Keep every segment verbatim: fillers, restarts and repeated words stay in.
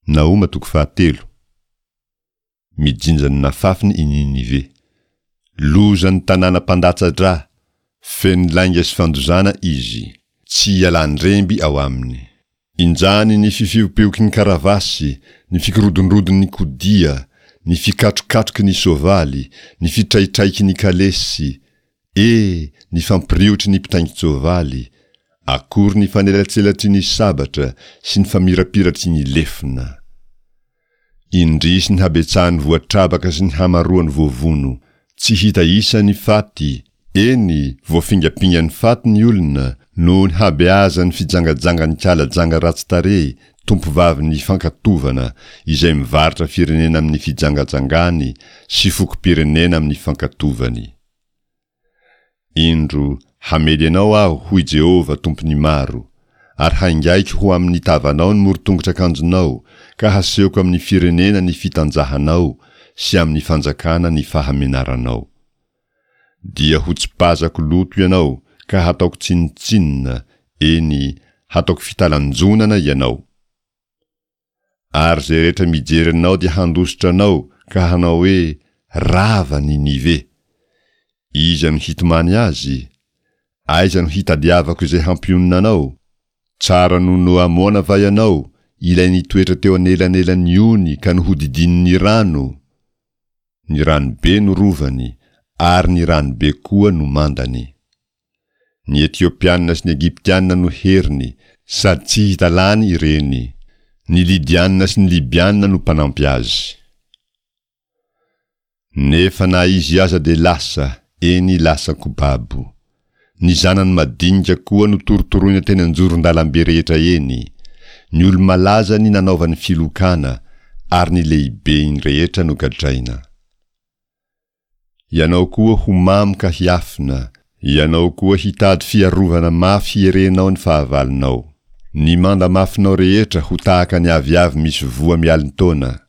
Nahoma toko fahatelo. Mijinja ny nafafiny i Ninive. Lozan'ny tanàna mpandatsa-drà, feno lainga sy fandozana izy, tsy ialan-dremby ao aminy. Injany ny fifiopioky ny karavasy, ny fikorodondrodon'ny kodia, ny fikatrokatroky ny soavaly, ny fitraitraiky ny kalesy, e, ny fampiriotry ny mpitaingin-tsoavaly, akory ny fanelatselatry ny sabatra sy ny famirapiratry ny lefona. Indrisy ny habetsahan'ny voatrabaka sy ny hamaroan'ny voavono, tsy hita isa ny faty, eny, voafingampingan'ny faty ny olona, noho ny habeazan'ny fijangajangan'ny kala janga ratsy tarehy, tompovavin'ny fankatovana, izay mivarotra firenena amin'ny fijangajangany sy fokom-pirenena amin'ny fankatovany. Indro, hamely anao Aho, hoy Jehovah, Tompon'ny maro, ary haingaiko ho amin'ny tavanao ny morotongotr'akanjonao, ka hasehoko amin'ny firenena ny fitanjahanao sy amin'ny fanjakana ny fahamenaranao. Dia hotsipazako loto ianao ka hataoko tsinontsinona, eny, hataoko fitalanjonana ianao. Ary izay rehetra mijery anao dia handositra anao ka hanao hoe, Rava Ninive! Iza no hitomany azy? Aiza no hitadiavako izay hampionona anao? Tsara noho Noamona va ianao, ilay nitoetra teo anelanelan'ny ony ka nohodidinin'ny rano? Ny ranobe no rovany, ary ny ranobe koa no mandany. Ny Etiopiana sy ny Egyptiana no heriny, sady tsy hita lany ireny. Ny Lydiana sy ny Libyana no mpanampy azy. Nefa na izy aza dia lasa, eny lasa-ko babo. Ny zanany madinika koa notorotoroina teny an-joron-dalambe rehetra eny. Ny olo-malazany nanaovany filokana, ary ny lehibeny rehetra nogadraina. Ianao koa ho mamo ka hiafina, ianao koa hitady fiarovana mafy hierenao ny fahavalonao. Ny manda mafinao rehetra ho tahaka ny aviavy misy voa mialin-taona.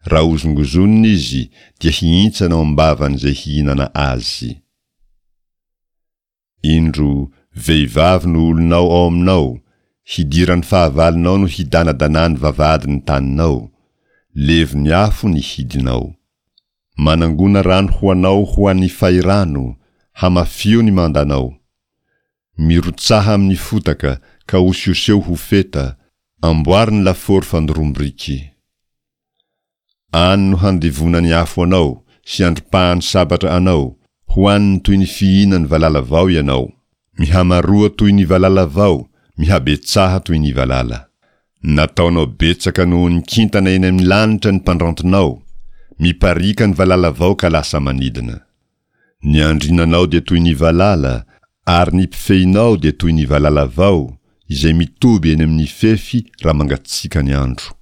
Raha hozongozonina izy dia hihintsana ao am-bavan'izay hihinana azy. Indro, vehivavy no olonao ao aminao, hidiran'ny fahavalonao no hidanadanany vavahadin'ny taninao, levon'ny afo ny hidinao. Manangona rano ho anao ho an'ny fahirano, hamafio ny mandanao. Mirotsaha amin'ny fotaka ka osioseho ho feta, amboary ny lafaoro fandoroam-biriky. Any no handevonan'ny afo anao sy andripahan'ny sabatra anao, hohaniny toy ny fihinan'ny valala vao ianao. Mihamaroa toy ny valala vao, mihabetsaha toy ny valala. Nataonao betsaka noho ny kintana eny amin'ny lanitra ny mpandrantonao, mipariaka ny valala vao ka lasa manidina. Ny andrinanao dia toy ny valala, ary ny mpifehinao dia toy ny valala vao, izay mitoby eny amin'ny fefy raha mangatsiaka ny andro.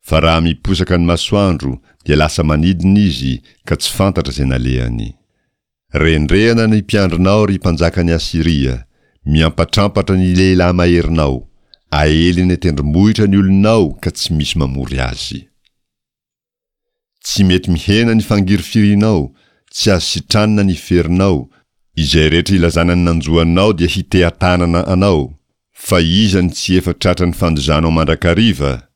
Fa raha miposaka ny masoandro dia lasa manidina izy ka tsy fantatra izay nalehany. Rendrehana ny mpiandrinao, ry mpanjakan'i Asyria, miampatrampatra ny lehilahy maherinao, aely eny an-tendrombohitra ny olonao ka tsy misy mamory azy. Tsy mety mihena ny fangirifirinao, tsy azo sitranina ny ferinao, izay rehetra ilazana ny nanjo anao dia hiteha-tanana anao, fa iza no tsy efa tratran'ny fandozanao mandrakariva?